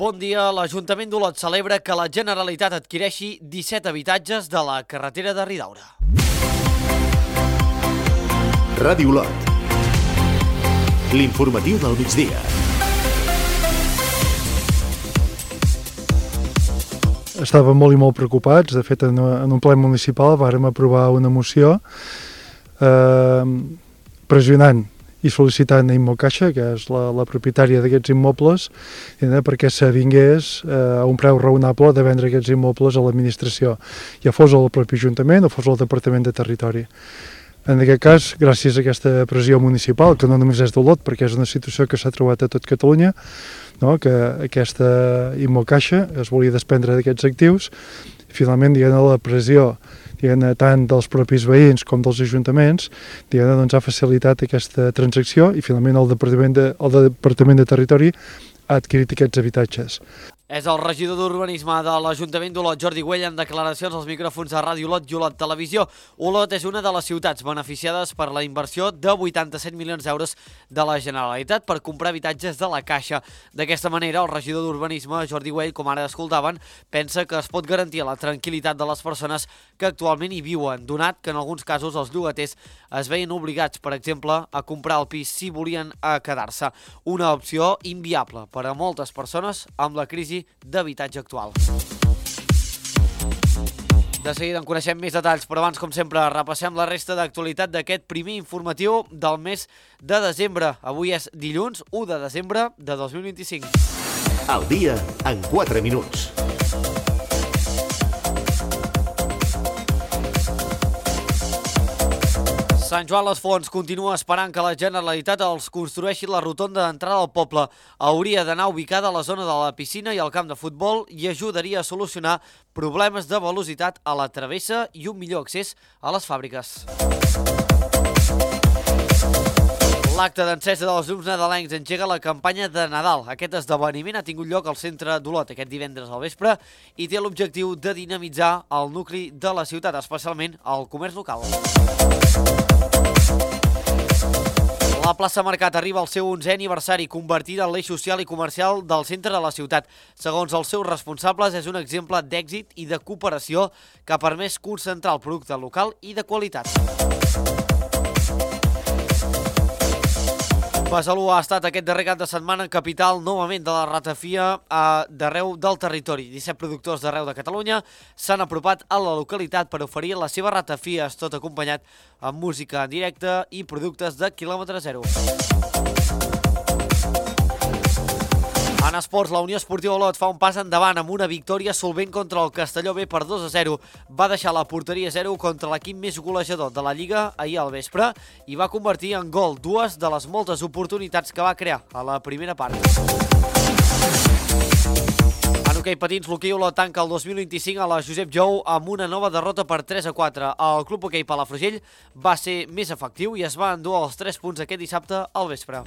Bon dia. L'Ajuntament d'Olot celebra que la Generalitat adquireixi 17 habitatges de la carretera de Ridaura. Ràdio Olot. L'informatiu del migdia. Estàvem molt i molt preocupats. De fet, en un ple municipal vàrem aprovar una moció pressionant i sol·licitant a Immocaixa, que és la propietària d'aquests immobles, perquè s'avingués a un preu raonable de vendre aquests immobles a l'administració, ja fos el propi Ajuntament o fos el Departament de Territori. En aquest cas, gràcies a aquesta pressió municipal, que no només és d'Olot, perquè és una situació que s'ha trobat a tot Catalunya, que aquesta Immocaixa es volia desprendre d'aquests actius, i finalment, la pressió tant dels propis veïns com dels ajuntaments ha facilitat aquesta transacció i finalment el Departament de Territori ha adquirit aquests habitatges. És el regidor d'Urbanisme de l'Ajuntament d'Olot, Jordi Güell, en declaracions als micròfons de Ràdio Olot i Olot Televisió. Olot és una de les ciutats beneficiades per la inversió de 87 milions d'euros de la Generalitat per comprar habitatges de la Caixa. D'aquesta manera, el regidor d'Urbanisme, Jordi Güell, com ara escoltaven, pensa que es pot garantir la tranquil·litat de les persones que actualment hi viuen, donat que en alguns casos els llogaters es veien obligats, per exemple, a comprar el pis si volien quedar-se. Una opció inviable per a moltes persones amb la crisi d'habitatge actual. De seguida en coneixem més detalls, però abans, com sempre, repassem la resta d'actualitat d'aquest primer informatiu del mes de desembre. Avui és dilluns 1 de desembre de 2025. Al dia en 4 minuts. Sant Joan les Fonts continua esperant que la Generalitat els construeixi la rotonda d'entrada al poble. Hauria d'anar ubicada a la zona de la piscina i el camp de futbol i ajudaria a solucionar problemes de velocitat a la travessa i un millor accés a les fàbriques. L'acte d'encesa dels llums nadalencs engega la campanya de Nadal. Aquest esdeveniment ha tingut lloc al centre d'Olot aquest divendres al vespre i té l'objectiu de dinamitzar el nucli de la ciutat, especialment el comerç local. La plaça Mercat arriba al seu 11è aniversari, convertida en l'eix social i comercial del centre de la ciutat. Segons els seus responsables, és un exemple d'èxit i de cooperació que ha permès concentrar el producte local i de qualitat. Besalú ha estat aquest darrer cap de setmana capital novament de la ratafia d'arreu del territori. 17 productors d'arreu de Catalunya s'han apropat a la localitat per oferir les seves ratafies, tot acompanyat amb música en directe i productes de quilòmetre zero. En esports, la Unió Esportiva Olot fa un pas endavant amb una victòria solvent contra el Castelló B per 2-0. Va deixar la porteria 0 contra l'equip més golejador de la Lliga ahir al vespre i va convertir en gol dues de les moltes oportunitats que va crear a la primera part. En hoquei patins, l'hoquei Olot tanca el 2025 a la Josep Jou amb una nova derrota per 3-4. El club hoquei Palafrugell va ser més efectiu i es va endur els 3 punts aquest dissabte al vespre.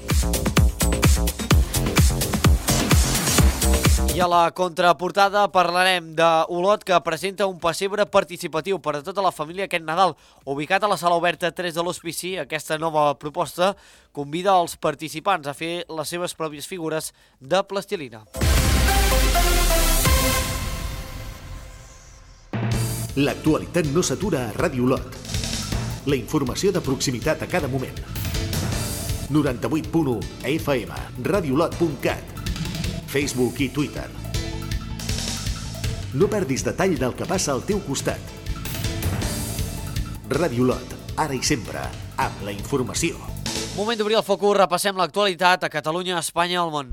I a la contraportada parlarem d'Olot, que presenta un pessebre participatiu per a tota la família aquest Nadal. Ubicat a la sala oberta 3 de l'Hospici, aquesta nova proposta convida els participants a fer les seves pròpies figures de plastilina. L'actualitat no s'atura a Ràdio Olot. La informació de proximitat a cada moment. 98.1 FM, radioolot.cat. Facebook i Twitter. No perdis detall del que passa al teu costat. Ràdio Olot, ara i sempre, amb la informació. Moment d'obrir el focus, repassem l'actualitat a Catalunya, Espanya i al món.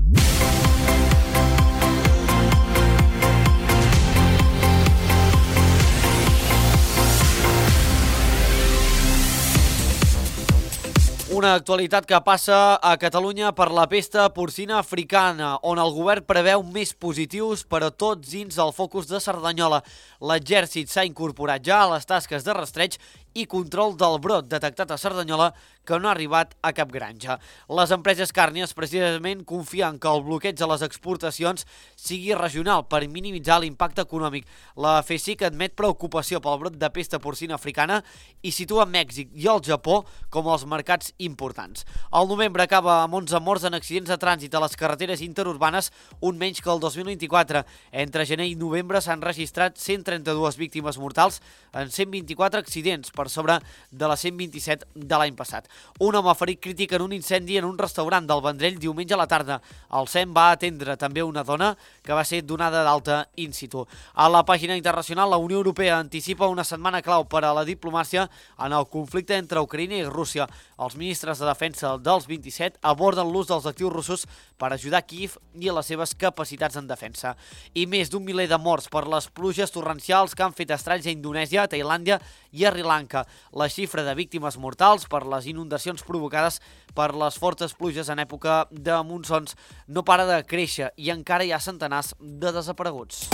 Una actualitat que passa a Catalunya per la pesta porcina africana, on el govern preveu més positius, però tots dins el focus de Cerdanyola. L'exèrcit s'ha incorporat ja a les tasques de rastreig i control del brot detectat a Cerdanyola que no ha arribat a cap granja. Les empreses càrnies precisament confien que el bloqueig de les exportacions sigui regional per minimitzar l'impacte econòmic. La FECIC admet preocupació pel brot de pesta porcina africana i situa Mèxic i el Japó com els mercats importants. El novembre acaba amb 11 morts en accidents de trànsit a les carreteres interurbanes, un menys que el 2024. Entre gener i novembre s'han registrat 132 víctimes mortals en 124 accidents, per sobre de les 127 de l'any passat. Un home ferit crític en un incendi en un restaurant del Vendrell diumenge a la tarda. El SEM va atendre també una dona que va ser donada d'alta in situ. A la pàgina internacional, la Unió Europea anticipa una setmana clau per a la diplomàcia en el conflicte entre Ucraïna i Rússia. Els ministres de defensa dels 27 aborden l'ús dels actius russos per ajudar Kíev i a les seves capacitats en defensa. I més d'un miler de morts per les pluges torrencials que han fet estralls a Indonèsia, Tailàndia i a Sri Lanka. La xifra de víctimes mortals per les inundacions provocades per les fortes pluges en època de monsons no para de créixer i encara hi ha centenars de desapareguts.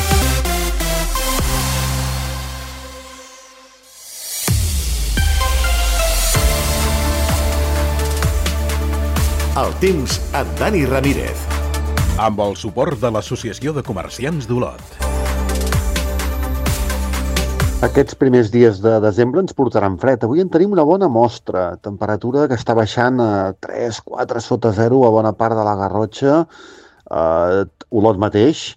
El temps amb Dani Ramírez. Amb el suport de l'Associació de Comerciants d'Olot. Aquests primers dies de desembre ens portaran fred. Avui en tenim una bona mostra. Temperatura que està baixant a 3-4 sota 0 a bona part de la Garrotxa. Olot mateix.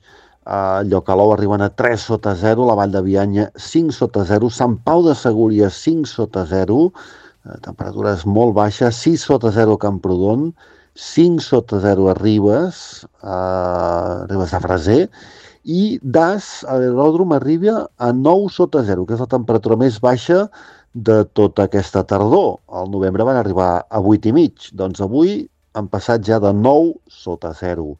Llocalou arriben a 3 sota 0. La Vall de Bianya 5 sota 0. Sant Pau de Segúries 5 sota 0. Temperatures molt baixes. 6 sota 0 a Camprodon. 5 sota 0 a Ribes de Freser. I Das, a l'aeròdrom, arriba a 9 sota 0, que és la temperatura més baixa de tota aquesta tardor. Al novembre van arribar a 8,5. Doncs avui han passat ja de 9 sota 0.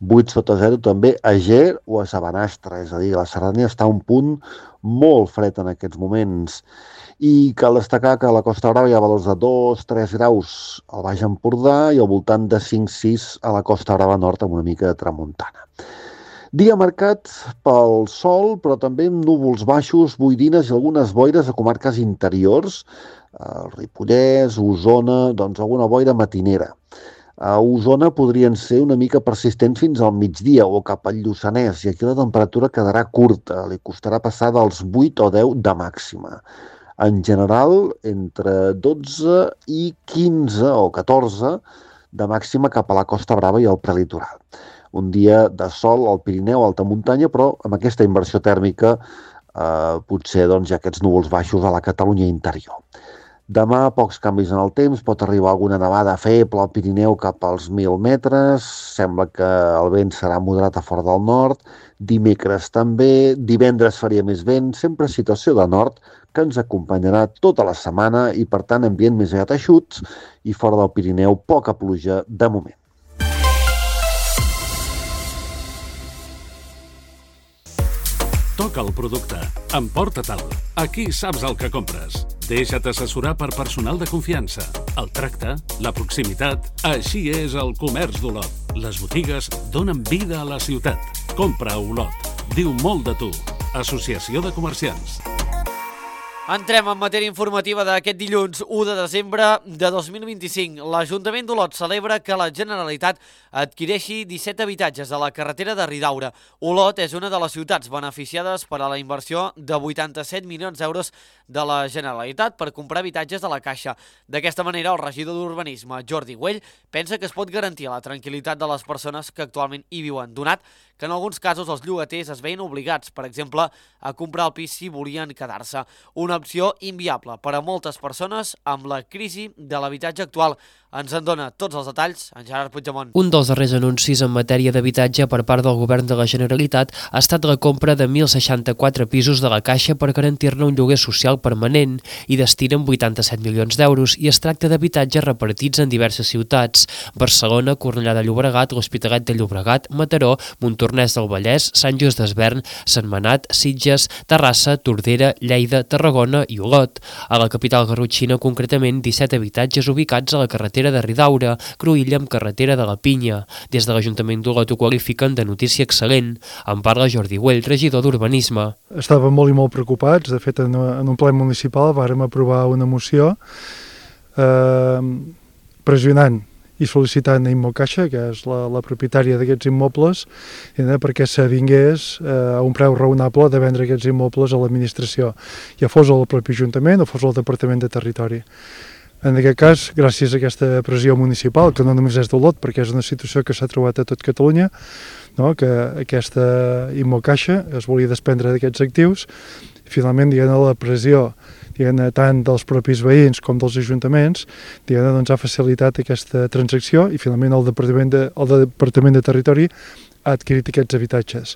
8 sota 0 també a Ger o a Sabanastre, és a dir, la Cerdanya està a un punt molt fred en aquests moments. I cal destacar que a la Costa Brava hi ha valors de 2-3 graus al Baix Empordà i al voltant de 5-6 a la Costa Brava Nord amb una mica de tramuntana. Dia marcat pel sol, però també amb núvols baixos, boirines i algunes boires a comarques interiors, el Ripollès, Osona, doncs alguna boira matinera. A Osona podrien ser una mica persistents fins al migdia o cap al Lluçanès, i aquí la temperatura quedarà curta, li costarà passar dels 8 o 10 de màxima. En general, entre 12 i 15 o 14 de màxima cap a la Costa Brava i al prelitoral. Un dia de sol al Pirineu, alta muntanya, però amb aquesta inversió tèrmica potser doncs, hi ha aquests núvols baixos a la Catalunya interior. Demà, pocs canvis en el temps, pot arribar alguna nevada feble al Pirineu cap als 1.000 metres, sembla que el vent serà moderat a fora del nord, dimecres també, divendres faria més vent, sempre situació de nord que ens acompanyarà tota la setmana i, per tant, ambient més aviat eixuts i fora del Pirineu poca pluja de moment. Toca el producte. Emporta-te'l. Aquí saps el que compres. Deixa't assessorar per personal de confiança. El tracte, la proximitat... Així és el comerç d'Olot. Les botigues donen vida a la ciutat. Compra a Olot. Diu molt de tu. Associació de Comerciants. Entrem en matèria informativa d'aquest dilluns 1 de desembre de 2025. L'Ajuntament d'Olot celebra que la Generalitat adquireixi 17 habitatges a la carretera de Ridaura. Olot és una de les ciutats beneficiades per a la inversió de 87 milions d'euros de la Generalitat per comprar habitatges de la Caixa. D'aquesta manera, el regidor d'Urbanisme, Jordi Güell, pensa que es pot garantir la tranquil·litat de les persones que actualment hi viuen, donat que en alguns casos els llogaters es veien obligats, per exemple, a comprar el pis si volien quedar-se. Una opció inviable per a moltes persones amb la crisi de l'habitatge actual. Ens en dona tots els detalls en Gerard Puigdemont. Un dels darrers anuncis en matèria d'habitatge per part del Govern de la Generalitat ha estat la compra de 1.064 pisos de la Caixa per garantir-ne un lloguer social permanent i destinen 87 milions d'euros i es tracta d'habitatges repartits en diverses ciutats: Barcelona, Cornellà de Llobregat, l'Hospitalet de Llobregat, Mataró, Montornès del Vallès, Sant Just Desvern, Sentmenat, Sitges, Terrassa, Tordera, Lleida, Tarragona, Vallfona i Olot. A la capital garrotxina, concretament, 17 habitatges ubicats a la carretera de Ridaura, cruïlla amb carretera de la Pinya. Des de l'Ajuntament d'Olot ho qualifiquen de notícia excel·lent. En parla Jordi Güell, regidor d'Urbanisme. Estàvem molt i molt preocupats. De fet, en un ple municipal vàrem aprovar una moció pressionant i sol·licitant a Immocaixa, que és la propietària d'aquests immobles, perquè s'avingués a un preu raonable de vendre aquests immobles a l'administració, ja fos al propi Ajuntament o fos al Departament de Territori. En aquest cas, gràcies a aquesta pressió municipal, que no només és d'Olot, perquè és una situació que s'ha trobat a tot Catalunya, que aquesta Immocaixa es volia desprendre d'aquests actius, finalment, la pressió tant dels propis veïns com dels ajuntaments ha facilitat aquesta transacció i finalment el Departament de Territori ha adquirit aquests habitatges.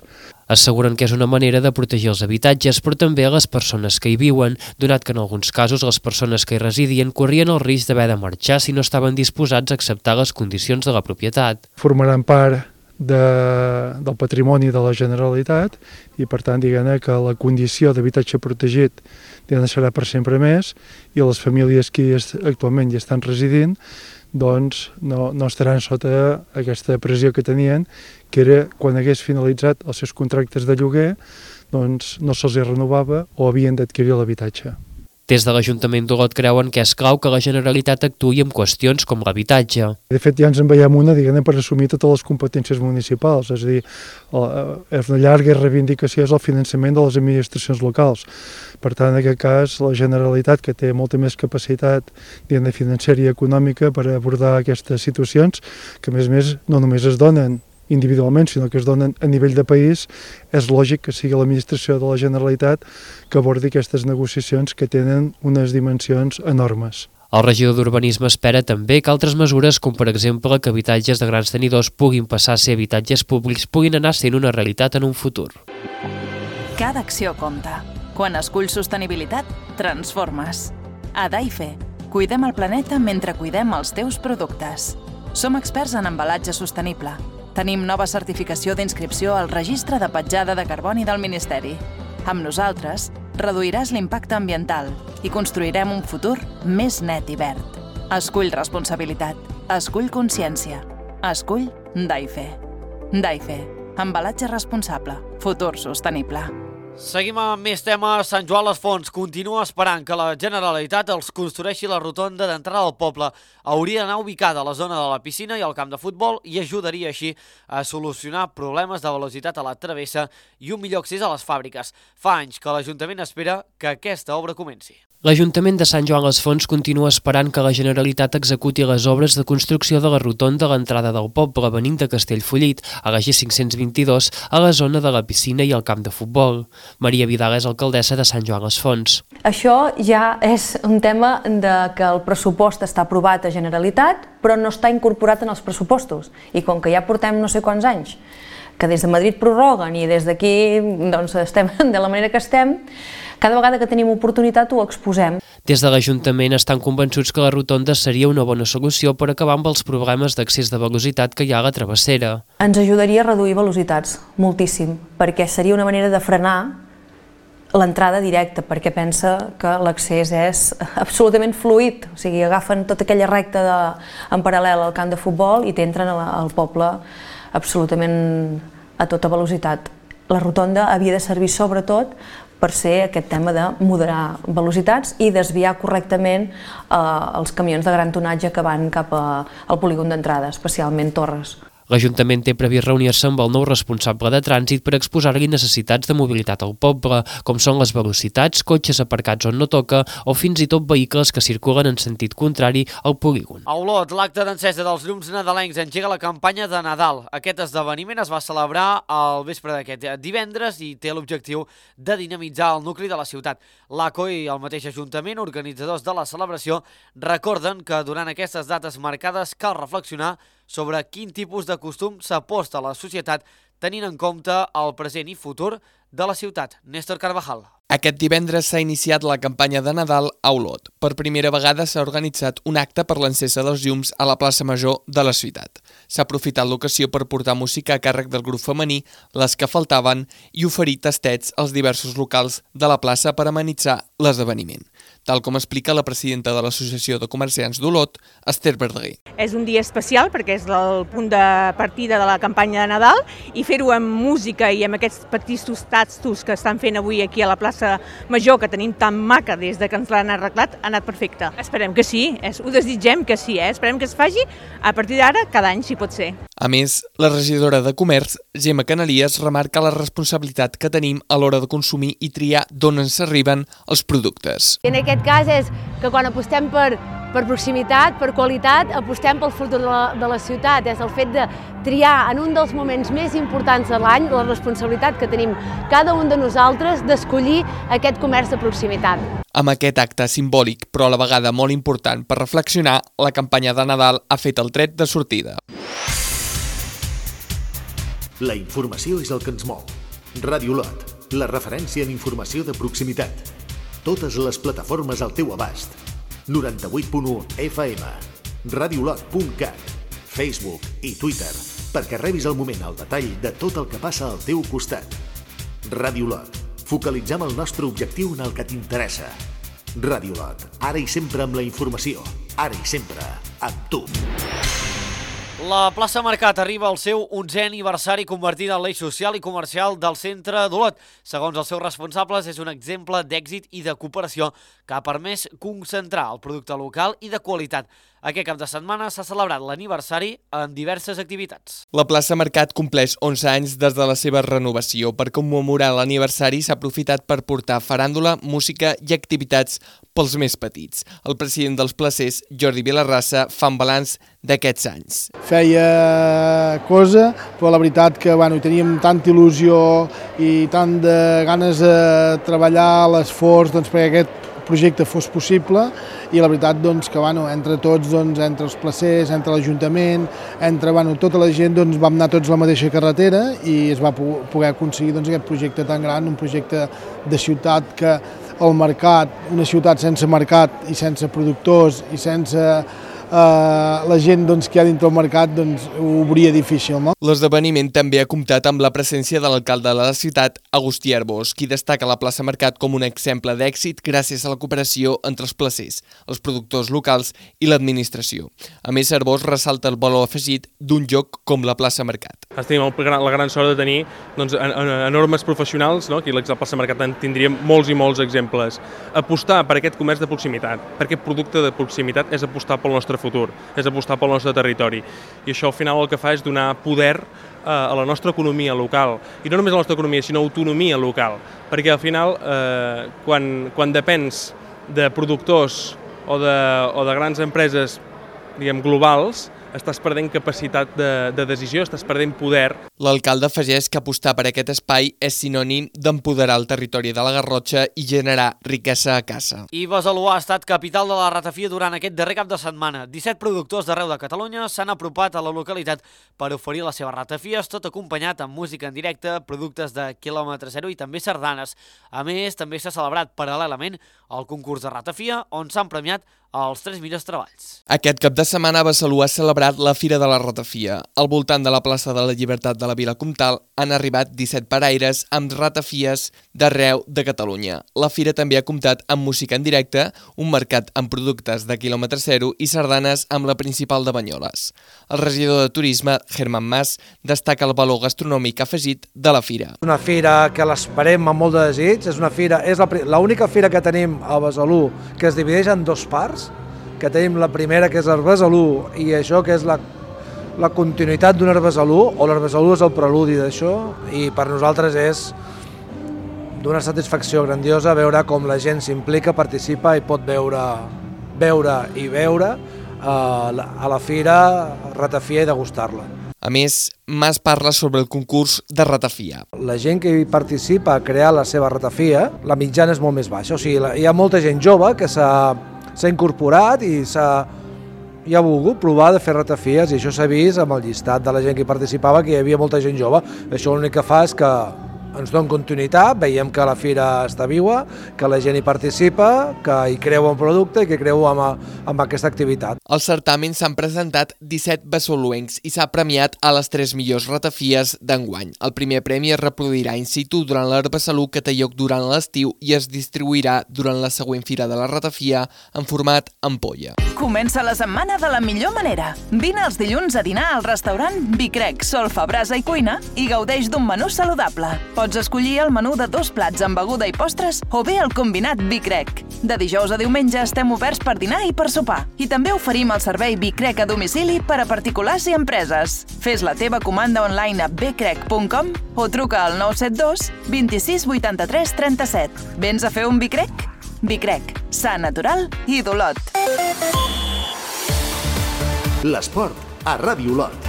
Asseguren que és una manera de protegir els habitatges, però també a les persones que hi viuen, donat que en alguns casos les persones que hi residien corrien el risc d'haver de marxar si no estaven disposats a acceptar les condicions de la propietat. Formaran part del patrimoni de la Generalitat i, per tant, que la condició d'habitatge protegit serà per sempre més i les famílies que actualment hi estan residint no estaran sota aquesta pressió que tenien, que era quan hagués finalitzat els seus contractes de lloguer, no se'ls renovava o havien d'adquirir l'habitatge. Des de l'Ajuntament d'Olot creuen que és clau que la Generalitat actuï en qüestions com l'habitatge. De fet, ja ens en veiem una, per assumir totes les competències municipals, és a dir, és una llarga reivindicació és el finançament de les administracions locals. Per tant, en aquest cas, la Generalitat, que té molta més capacitat financera i econòmica per abordar aquestes situacions, que a més no només es donen individualment, sinó que es donen a nivell de país, és lògic que sigui l'administració de la Generalitat que abordi aquestes negociacions que tenen unes dimensions enormes. El regidor d'Urbanisme espera també que altres mesures, com per exemple que habitatges de grans tenidors puguin passar a ser habitatges públics, puguin anar sent una realitat en un futur. Cada acció compta. Quan esculls sostenibilitat, transformes. A Daife, cuidem el planeta mentre cuidem els teus productes. Som experts en embalatge sostenible. Tenim nova certificació d'inscripció al Registre de Petjada de Carboni del Ministeri. Amb nosaltres, reduiràs l'impacte ambiental i construirem un futur més net i verd. Escull responsabilitat. Escull consciència. Escull Daife. Daife. Embalatge responsable. Futur sostenible. Seguim amb més temes. Sant Joan les Fonts continua esperant que la Generalitat els construeixi la rotonda d'entrada al poble. Hauria d'anar ubicada a la zona de la piscina i al camp de futbol i ajudaria així a solucionar problemes de velocitat a la travessa i un millor accés a les fàbriques. Fa anys que l'Ajuntament espera que aquesta obra comenci. L'Ajuntament de Sant Joan les Fonts continua esperant que la Generalitat executi les obres de construcció de la rotonda a l'entrada del poble venint de Castellfollit, a la G522, a la zona de la piscina i al camp de futbol. Maria Vidal és alcaldessa de Sant Joan les Fonts. Això ja és un tema de que el pressupost està aprovat a Generalitat, però no està incorporat en els pressupostos. I com que ja portem no sé quants anys, que des de Madrid prorroguen i des d'aquí estem de la manera que estem, cada vegada que tenim oportunitat ho exposem. Des de l'Ajuntament estan convençuts que la rotonda seria una bona solució per acabar amb els problemes d'accés de velocitat que hi ha a la travessera. Ens ajudaria a reduir velocitats, moltíssim, perquè seria una manera de frenar l'entrada directa, perquè pensa que l'accés és absolutament fluid, o sigui, agafen tota aquella recta en paral·lel al camp de futbol i t'entren al poble absolutament a tota velocitat. La rotonda havia de servir sobretot per ser aquest tema de moderar velocitats i desviar correctament els camions de gran tonatge que van cap al polígon d'entrada, especialment Torres. L'Ajuntament té previst reunir-se amb el nou responsable de trànsit per exposar-li necessitats de mobilitat al poble, com són les velocitats, cotxes aparcats on no toca o fins i tot vehicles que circulen en sentit contrari al polígon. A Olot, l'acte d'encesa dels llums nadalencs engega la campanya de Nadal. Aquest esdeveniment es va celebrar al vespre d'aquest divendres i té l'objectiu de dinamitzar el nucli de la ciutat. L'ACO i el mateix Ajuntament, organitzadors de la celebració, recorden que durant aquestes dates marcades cal reflexionar sobre quin tipus de costum s'aposta a la societat tenint en compte el present i futur de la ciutat. Néstor Carvajal. Aquest divendres s'ha iniciat la campanya de Nadal a Olot. Per primera vegada s'ha organitzat un acte per l'encesa dels llums a la plaça Major de la ciutat. S'ha aprofitat l'ocasió per portar música a càrrec del grup femení, les que faltaven, i oferir tastets als diversos locals de la plaça per amenitzar l'esdeveniment, tal com explica la presidenta de l'Associació de Comerciants d'Olot, Esther Verdaguer. És un dia especial perquè és el punt de partida de la campanya de Nadal i fer-ho amb música i amb aquests petits tastos que estan fent avui aquí a la plaça Major, que tenim tan maca des de que ens l'han arreglat, ha anat perfecte. Esperem que sí, ho desitgem que sí, esperem que es faci a partir d'ara cada any, si pot ser. A més, la regidora de Comerç, Gemma Canalies, remarca la responsabilitat que tenim a l'hora de consumir i triar d'on ens arriben els productes. En aquest cas és que quan apostem per proximitat, per qualitat, apostem pel futur de la ciutat. És el fet de triar en un dels moments més importants de l'any la responsabilitat que tenim cada un de nosaltres d'escollir aquest comerç de proximitat. Amb aquest acte simbòlic, però a la vegada molt important per reflexionar, la campanya de Nadal ha fet el tret de sortida. La informació és el que ens mou. Ràdio Olot, la referència en informació de proximitat. Totes les plataformes al teu abast. 98.1 FM, radiolot.cat, Facebook i Twitter, perquè rebis al moment el detall de tot el que passa al teu costat. Ràdio Olot, focalitzem el nostre objectiu en el que t'interessa. Ràdio Olot, ara i sempre amb la informació, ara i sempre amb tu. La plaça Mercat arriba al seu 11è aniversari convertida en l'eix social i comercial del centre d'Olot. Segons els seus responsables, és un exemple d'èxit i de cooperació que ha permès concentrar el producte local i de qualitat. Aquest cap de setmana s'ha celebrat l'aniversari en diverses activitats. La plaça Mercat compleix 11 anys des de la seva renovació. Per commemorar l'aniversari s'ha aprofitat per portar faràndula, música i activitats pels més petits. El president dels placers, Jordi Vilarrassa, fa un balanç d'aquests anys. Feia cosa, però la veritat que hi teníem tanta il·lusió i tant de ganes de treballar l'esforç perquè aquest projecte fos possible i la veritat que entre tots, entre els placers, entre l'Ajuntament, entre tota la gent vam anar tots a la mateixa carretera i es va poder aconseguir aquest projecte tan gran, un projecte de ciutat que el mercat, una ciutat sense mercat i sense productors i sense la gent que hi ha dintre el mercat ho obria difícil. No? L'esdeveniment també ha comptat amb la presència de l'alcalde de la ciutat, Agustí Arbós, qui destaca la plaça Mercat com un exemple d'èxit gràcies a la cooperació entre els placers, els productors locals i l'administració. A més, Arbós ressalta el valor afegit d'un lloc com la plaça Mercat. Tenim la gran sort de tenir enormes professionals, no? Aquí a la plaça Mercat en tindríem molts i molts exemples. Apostar per aquest comerç de proximitat, per aquest producte de proximitat, és apostar pel nostre futur, és apostar pel nostre territori. I això al final el que fa és donar poder a la nostra economia local. I no només a la nostra economia, sinó autonomia local. Perquè al final, quan depens de productors o de grans empreses globals, estàs perdent capacitat de decisió, estàs perdent poder. L'alcalde afegeix que apostar per aquest espai és sinònim d'empoderar el territori de la Garrotxa i generar riquesa a casa. I Besalú ha estat capital de la ratafia durant aquest darrer cap de setmana. 17 productors d'arreu de Catalunya s'han apropat a la localitat per oferir les seves ratafies, tot acompanyat amb música en directe, productes de quilòmetre zero i també sardanes. A més, també s'ha celebrat paral·lelament el concurs de ratafia, on s'han premiat els 3 millors treballs. Aquest cap de setmana Besalú ha celebrat la Fira de la Ratafia. Al voltant de la plaça de la Llibertat de la Vila Comtal han arribat 17 paraires amb ratafies d'arreu de Catalunya. La fira també ha comptat amb música en directe, un mercat amb productes de quilòmetre zero i sardanes amb la principal de Banyoles. El regidor de Turisme, Germán Mas, destaca el valor gastronòmic afegit de la fira. És una fira que l'esperem amb molt de desig, és l'única fira que tenim a Besalú que es divideix en dos parts, que tenim la primera que és l'Arbesalú i això que és la continuïtat d'un Arbesalú, o l'Arbesalú és el preludi d'això, i per nosaltres és d'una satisfacció grandiosa veure com la gent s'implica, participa i pot veure a la fira ratafia i degustar-la. A més, Mas parla sobre el concurs de ratafia. La gent que hi participa a crear la seva ratafia, la mitjana és molt més baixa. O sigui, hi ha molta gent jove que s'ha incorporat i i ha volgut provar de fer ratafies, i això s'ha vist amb el llistat de la gent que hi participava, que hi havia molta gent jove. Això l'únic que fa és que ens dona continuïtat, veiem que la fira està viva, que la gent hi participa, que hi creu en producte i que creu en aquesta activitat. Al certamen s'han presentat 17 basoluencs i s'ha premiat a les 3 millors ratafies d'enguany. El primer premi es reproduirà in situ durant l'Herbasalut, que té lloc durant l'estiu, i es distribuirà durant la següent fira de la ratafia en format ampolla. Comença la setmana de la millor manera. Vine els dilluns a dinar al restaurant Bicrec, Solfa, Brasa i Cuina i gaudeix d'un menú saludable. Pots escollir el menú de 2 plats amb beguda i postres o bé el combinat Bicrec. De dijous a diumenge estem oberts per dinar i per sopar. I també oferim el servei Bicrec a domicili per a particulars i empreses. Fes la teva comanda online a bcrec.com o truca al 972 26 83 37. Vens a fer un Bicrec? Bicrec, sa, natural i d'Olot. L'esport a Ràdio Olot.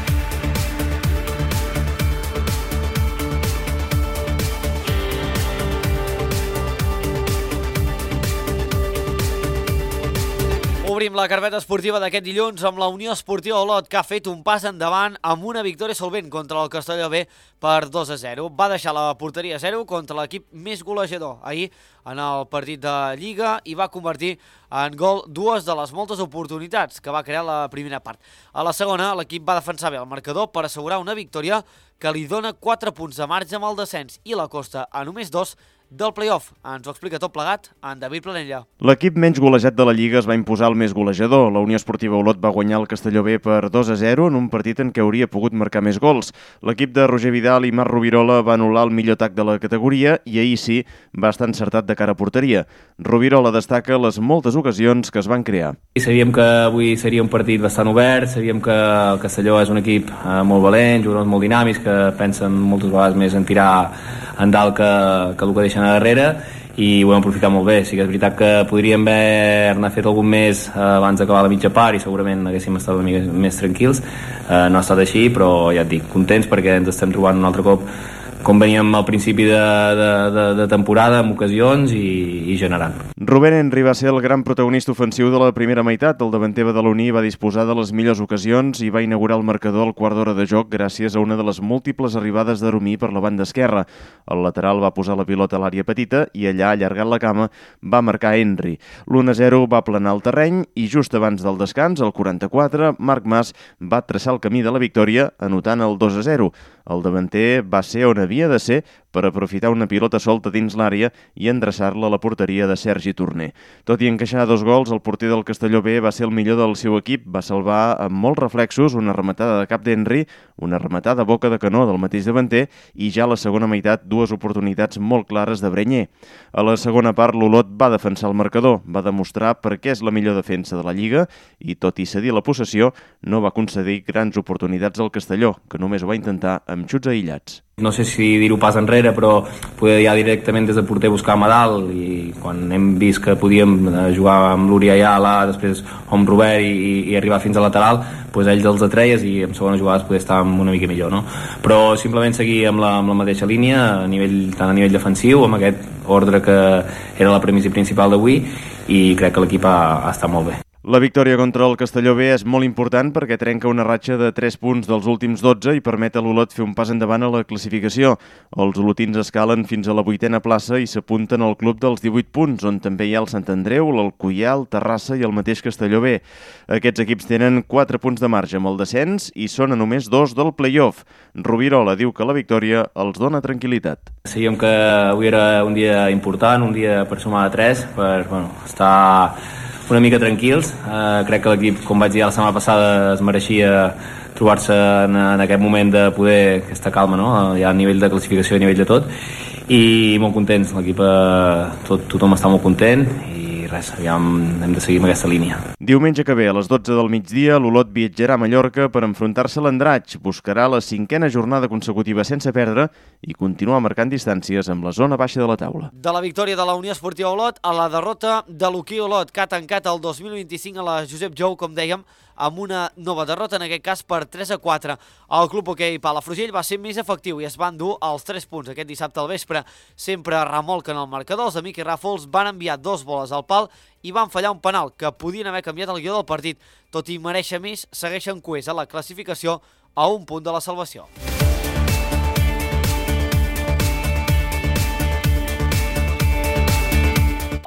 Obrim la carpeta esportiva d'aquest dilluns amb la Unió Esportiva Olot, que ha fet un pas endavant amb una victòria solvent contra el Castelló B per 2-0. Va deixar la porteria a 0 contra l'equip més golejador ahir en el partit de Lliga i va convertir en gol 2 de les moltes oportunitats que va crear la primera part. A la segona, l'equip va defensar bé el marcador per assegurar una victòria que li dona 4 punts de marge amb el descens i l'acosta a només 2 del play-off. Ens ho explica tot plegat en David Planella. L'equip menys golejat de la Lliga es va imposar al més golejador. La Unió Esportiva Olot va guanyar el Castelló B per 2-0 en un partit en què hauria pogut marcar més gols. L'equip de Roger Vidal i Marc Rovirola va anul·lar el millor atac de la categoria i ahir sí va estar encertat de cara a porteria. Rovirola destaca les moltes ocasions que es van crear. Sabíem que avui seria un partit bastant obert, sabíem que el Castelló és un equip molt valent, jugadors molt dinàmics que pensen moltes vegades més en tirar endalt que el que deixen a darrere, i ho hem aprofitat molt bé. Sí que és veritat que podríem haver fet algun més abans d'acabar la mitja part i segurament haguéssim estat una mica més tranquils. No ha estat així, però ja et dic, contents perquè ens estem trobant un altre cop com veníem al principi de temporada, amb ocasions i generant. Rubén Henry va ser el gran protagonista ofensiu de la primera meitat. El davanter badaloní va disposar de les millors ocasions i va inaugurar el marcador al quart d'hora de joc gràcies a una de les múltiples arribades de Romí per la banda esquerra. El lateral va posar la pilota a l'àrea petita i allà, allargant la cama, va marcar Henry. L'1-0 va planar el terreny i just abans del descans, al 44, Marc Mas va traçar el camí de la victòria anotant el 2-0. El davanter va ser on havia de ser per aprofitar una pilota solta dins l'àrea i endreçar-la a la porteria de Sergi Torner. Tot i encaixar 2 gols, el porter del Castelló B va ser el millor del seu equip. Va salvar amb molts reflexos una rematada de cap d'Henry, una rematada a boca de canó del mateix davanter i ja a la segona meitat 2 oportunitats molt clares de Brenyer. A la segona part, l'Olot va defensar el marcador, va demostrar per què és la millor defensa de la Lliga i, tot i cedir la possessió, no va concedir grans oportunitats al Castelló, que només ho va intentar amb xuts aïllats. No sé si dir-ho pas enrere, però poder ja directament des de porter buscar a dalt, i quan hem vist que podíem jugar amb l'Uri allà, després amb Robert i arribar fins a lateral, doncs ells els atreies i en segones jugades poder estar una mica millor, no? Però simplement seguir amb la mateixa línia, tant a nivell defensiu, amb aquest ordre que era la premissa principal d'avui, i crec que l'equip ha estat molt bé. La victòria contra el Castelló B és molt important perquè trenca una ratxa de 3 punts dels últims 12 i permet a l'Olot fer un pas endavant a la classificació. Els olotins escalen fins a la 8a plaça i s'apunten al club dels 18 punts, on també hi ha el Sant Andreu, l'Alcoià, el Terrassa i el mateix Castelló B. Aquests equips tenen 4 punts de marge amb el descens i són a només 2 del play-off. Rovirola diu que la victòria els dona tranquil·litat. Sabíem que avui era un dia important, un dia per sumar de 3, per estar una mica tranquils. Crec que l'equip, com vaig dir la setmana passada, es mereixia trobar-se en aquest moment de poder aquesta calma, no? Ja a nivell de classificació, a nivell de tot, i molt contents. L'equip, tothom està molt content i res, aviam, hem de seguir amb aquesta línia. Diumenge que ve, a les 12 del migdia, l'Olot viatjarà a Mallorca per enfrontar-se a l'Andratx. Buscarà la 5a jornada consecutiva sense perdre i continuar marcant distàncies amb la zona baixa de la taula. De la victòria de la Unió Esportiva Olot a la derrota de l'Hoquei Olot, que ha tancat el 2025 a la Josep Jou, com dèiem, amb una nova derrota, en aquest cas per 3-4. El Club Hoquei Palafrugell va ser més efectiu i es van dur els 3 punts aquest dissabte al vespre. Sempre remolquen el marcador, els de Miqui Ràfols van enviar 2 boles al pal i van fallar un penal que podien haver canviat el guió del partit. Tot i mereixer més, segueixen coers a la classificació a un punt de la salvació.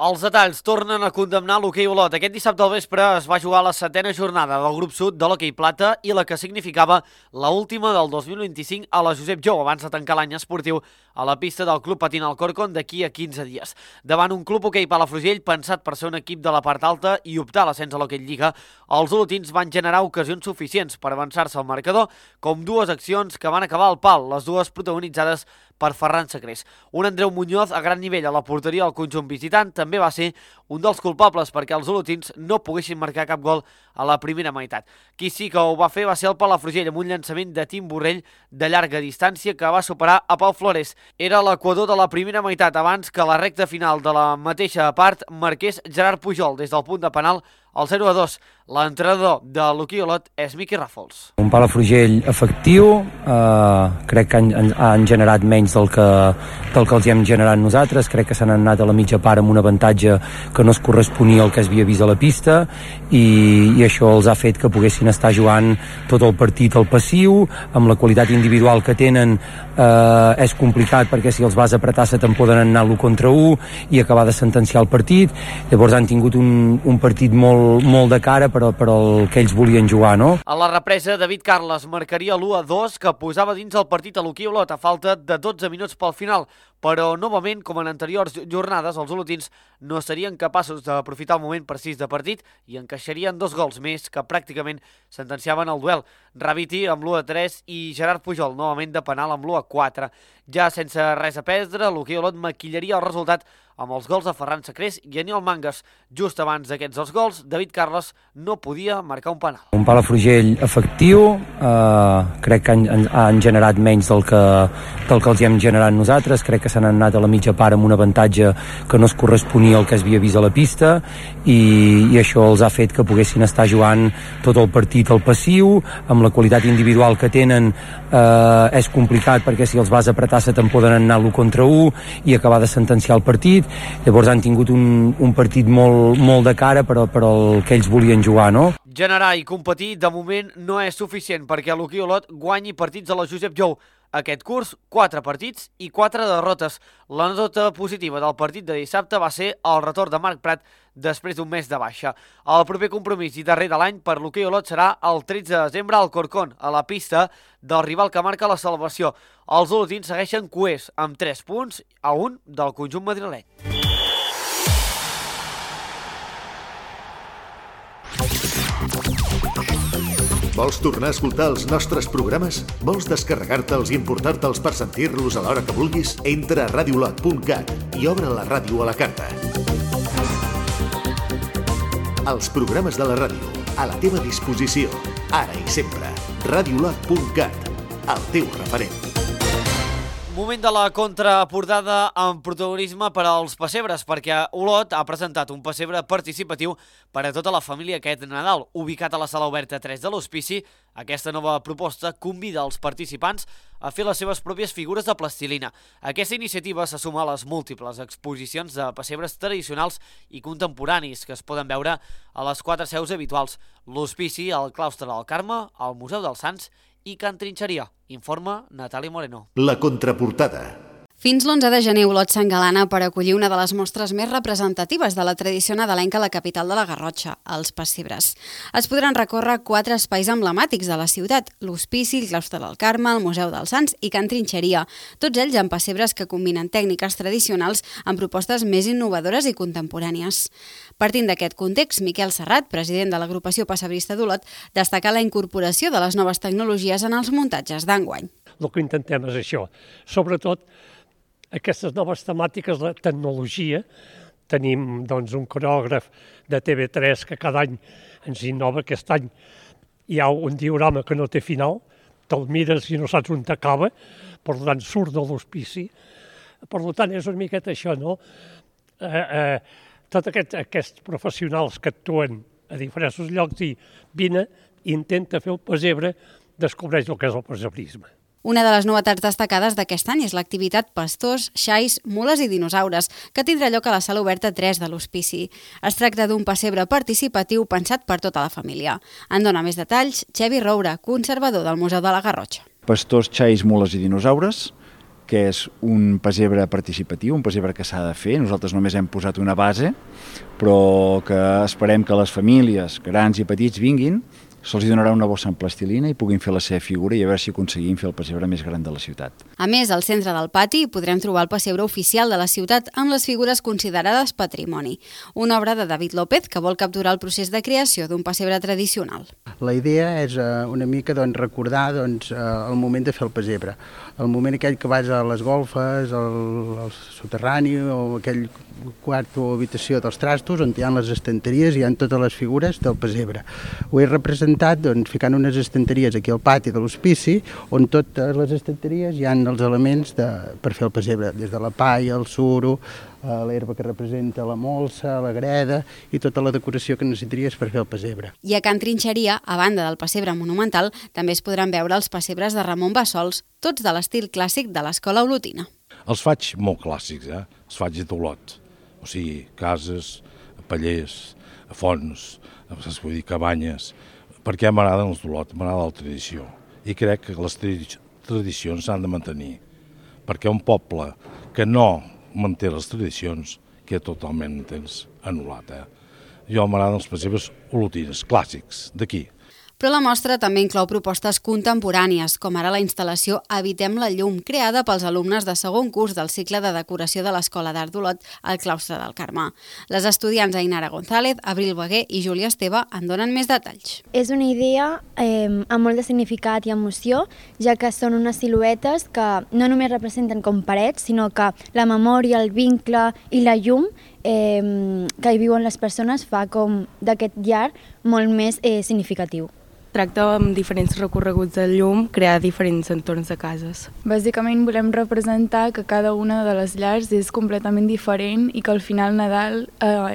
Els detalls tornen a condemnar l'hoquei Olot. Aquest dissabte al vespre es va jugar la 7a jornada del grup sud de l'hoquei plata i la que significava l'última del 2025 a la Josep Jou, abans de tancar l'any esportiu a la pista del Club Patín Alcorcón d'aquí a 15 dies. Davant un Club Hoquei Palafrugell pensat per ser un equip de la part alta i optar a l'ascens a l'hoquei Lliga, els olotins van generar ocasions suficients per avançar-se al marcador, com 2 accions que van acabar al pal, les dues protagonitzades per Ferran Sacrés. Un Andreu Muñoz a gran nivell a la porteria del conjunt visitant també va ser un dels culpables perquè els olotins no poguessin marcar cap gol a la primera meitat. Qui sí que ho va fer va ser el Palafrugell amb un llançament de Tim Borrell de llarga distància que va superar a Pau Flores. Era l'equador de la primera meitat abans que la recta final de la mateixa part marqués Gerard Pujol des del punt de penal al 0-2. L'entrenador de l'hoquei Olot és Miqui Ràfols. Un Palafrugell efectiu, crec que han generat menys del que els hem generat nosaltres, crec que s'han anat a la mitja part amb un avantatge que no es corresponia al que es havia vist a la pista i això els ha fet que poguessin estar jugant tot el partit al passiu, amb la qualitat individual que tenen és complicat perquè si els vas apretar se te'n poden anar l'1 contra 1 i acabar de sentenciar el partit. Llavors han tingut un partit molt de cara per al que ells volien jugar, no? A la represa, David Carles marcaria l'1-2 que posava dins el partit a l'hoquei Olot a falta de 12 minuts pel final, però novament, com en anteriors jornades, els olotins no serien capaços d'aprofitar el moment precís de partit i encaixarien 2 gols més que pràcticament sentenciaven el duel. Raviti amb l'1-3 i Gerard Pujol novament de penal amb l'1-4. Ja sense res a perdre, l'hoquei Olot maquillaria el resultat amb els gols de Ferran Sacrés i Aniol Mangas. Just abans d'aquests 2 gols, David Carles no podia marcar un penal. Un Palafrugell efectiu, crec que han generat menys del que els hem generat nosaltres, crec que s'han anat a la mitja part amb un avantatge que no es corresponia al que es havia vist a la pista i això els ha fet que poguessin estar jugant tot el partit al passiu, amb la qualitat individual que tenen és complicat perquè si els vas apretar se te'n poden anar l'1 contra 1 i acabar de sentenciar el partit. Llavors han tingut un partit molt de cara per al que ells volien jugar, no? Generar i competir de moment no és suficient perquè l'hoquei Olot guanyi partits a la Josep Jou. Aquest curs, 4 partits i 4 derrotes. La nota positiva del partit de dissabte va ser el retorn de Marc Prat després d'un mes de baixa. El proper compromís i darrer de l'any per l'hoquei Olot serà el 13 de desembre al Corcón, a la pista del rival que marca la salvació. Els olotins segueixen coers amb 3 punts a 1 del conjunt madrileny. Vols tornar a escoltar els nostres programes? Vols descarregar-te'ls i emportar-te'ls per sentir-los a l'hora que vulguis? Entra a radiolot.cat i obre la ràdio a la carta. Els programes de la ràdio, a la teva disposició, ara i sempre. Radiolot.cat, el teu referent. Moment de la contraportada amb protagonisme per als pessebres, perquè Olot ha presentat un pessebre participatiu per a tota la família aquest Nadal. Ubicat a la sala oberta 3 de l'Hospici, aquesta nova proposta convida els participants a fer les seves pròpies figures de plastilina. Aquesta iniciativa se suma a les múltiples exposicions de pessebres tradicionals i contemporanis que es poden veure a les 4 seus habituals: l'Hospici, el Claustre del Carme, el Museu dels Sants i Can Trinxeria. Informa Natàlia Moreno. La contraportada. Fins l'11 de gener Olot s'engalana per acollir una de les mostres més representatives de la tradició nadalenca a la capital de la Garrotxa, els pessebres. Es podran recórrer 4 espais emblemàtics de la ciutat: l'Hospici, el Claustre del Carme, el Museu dels Sants i Can Trinxeria, tots ells amb pessebres que combinen tècniques tradicionals amb propostes més innovadores i contemporànies. Partint d'aquest context, Miquel Serrat, president de l'agrupació pessebrista d'Olot, destaca la incorporació de les noves tecnologies en els muntatges d'enguany. El que intentem és això, sobretot aquestes noves temàtiques, la tecnologia. Tenim un coreògraf de TV3 que cada any ens innova. Aquest any hi ha un diorama que no té final, te'l mires i no saps on t'acaba, per tant surt de l'Hospici. Per tant és una miqueta això, no? Tots aquests professionals que actuen a diferents llocs i vine, intenta fer un pessebre, descobreix el que és el pessebrisme. Una de les novetats destacades d'aquest any és l'activitat Pastors, Xais, Mules i Dinosaures, que tindrà lloc a la sala oberta 3 de l'Hospici. Es tracta d'un pessebre participatiu pensat per tota la família. En dona més detalls Xevi Roura, conservador del Museu de la Garrotxa. Pastors, Xais, Mules i Dinosaures, que és un pessebre participatiu, un pessebre que s'ha de fer. Nosaltres només hem posat una base, però que esperem que les famílies, grans i petits, vinguin, se'ls donarà una bossa amb plastilina i puguin fer la seva figura i a veure si aconseguim fer el pessebre més gran de la ciutat. A més, al centre del pati podrem trobar el pessebre oficial de la ciutat amb les figures considerades patrimoni, una obra de David López que vol capturar el procés de creació d'un pessebre tradicional. La idea és una mica recordar el moment de fer el pessebre, el moment aquell que vas a les golfes, al soterrani o aquell quart o habitació dels trastos on hi ha les estanteries i hi ha totes les figures del pessebre. Ho he representat ficant unes estanteries aquí al pati de l'Hospici on totes les estanteries hi ha els elements per fer el pessebre, des de la palla, el suro, l'herba que representa la molsa, la greda i tota la decoració que necessitaries per fer el pessebre. I a Can Trinxeria, a banda del pessebre monumental, també es podran veure els pessebres de Ramon Bassols, tots de l'estil clàssic de l'escola olotina. Els faig molt clàssics, els faig d'Olot, o sigui, cases, pallers, fonts, vull dir, cabanyes, perquè m'agraden els d'Olot, m'agrada la tradició, i crec que les tradicions s'han de mantenir, perquè un poble que no manté les tradicions queda totalment anul·lat. Jo m'agraden els pessebres olotines, clàssics, d'aquí. Però la mostra també inclou propostes contemporànies, com ara la instal·lació Evitem la llum, creada pels alumnes de segon curs del cicle de decoració de l'Escola d'Art d'Olot al claustre del Carmà. Les estudiants Ainara González, Abril Beguer i Júlia Esteve en donen més detalls. És una idea amb molt de significat i emoció, ja que són unes siluetes que no només representen com parets, sinó que la memòria, el vincle i la llum que hi viuen les persones fa com d'aquest llar molt més significatiu. Tracta amb diferents recorreguts de llum, crear diferents entorns de cases. Bàsicament volem representar que cada una de les llars és completament diferent i que al final Nadal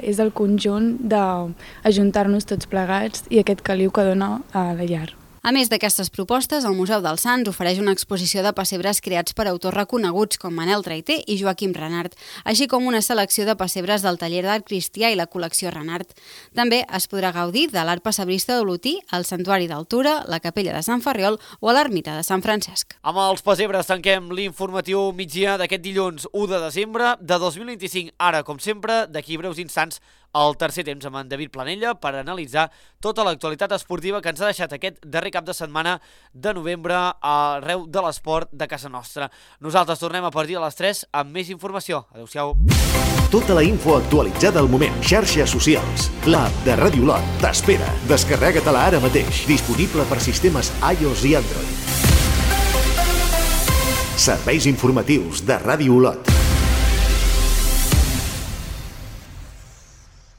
és el conjunt d'ajuntar-nos tots plegats i aquest caliu que dona a la llar. A més d'aquestes propostes, el Museu dels Sants ofereix una exposició de pessebres creats per autors reconeguts com Manel Traiter i Joaquim Renart, així com una selecció de pessebres del taller d'art cristià i la col·lecció Renart. També es podrà gaudir de l'art pessebrista d'Olotí, al Santuari d'Altura, la Capella de Sant Ferriol o a l'Ermita de Sant Francesc. Amb els pessebres tanquem l'informatiu migdia d'aquest dilluns 1 de desembre de 2025. Ara, com sempre, d'aquí breus instants, el tercer temps amb en David Planella per analitzar tota l'actualitat esportiva que ens ha deixat aquest darrer cap de setmana de novembre arreu de l'esport de casa nostra. Nosaltres tornem a partir de les 3 amb més informació. Adéu-siau. Tota la info actualitzada al moment. Xarxes socials. L'app de Ràdio Olot t'espera. Descarrega-te-la ara mateix. Disponible per sistemes iOS i Android. Serveis informatius de Ràdio Olot.